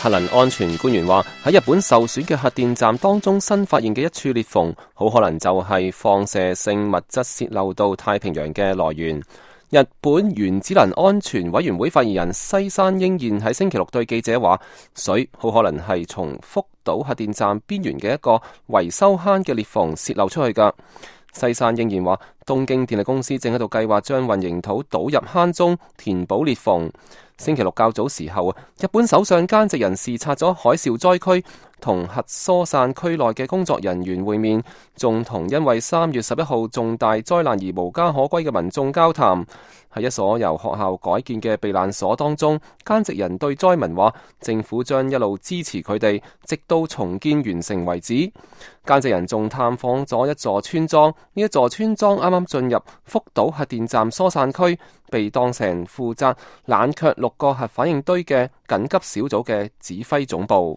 核能安全官員話，喺日本受損嘅核電站當中新發現嘅一處裂縫，好可能就係放射性物質洩漏到太平洋嘅來源。日本原子能安全委員會發言人西山英彥喺星期六對記者話，水好可能係從福島核電站邊緣嘅一個維修坑嘅裂縫洩漏出去㗎。西山英彥話，東京電力公司正喺度計劃將混凝土倒入坑中填補裂縫。星期六較早時候，日本首相菅直人視察咗海嘯災區，同核疏散區內嘅工作人員會面，仲同因為3月11號重大災難而無家可歸嘅民眾交談。喺一所由學校改建嘅避難所當中，菅直人對災民話，政府將一路支持佢哋，直到重建完成為止。菅直人仲探訪咗一座村莊，呢一座村莊啱啱進入福島核電站疏散區，被當成負責冷卻6個核反應堆嘅緊急小組嘅指揮總部。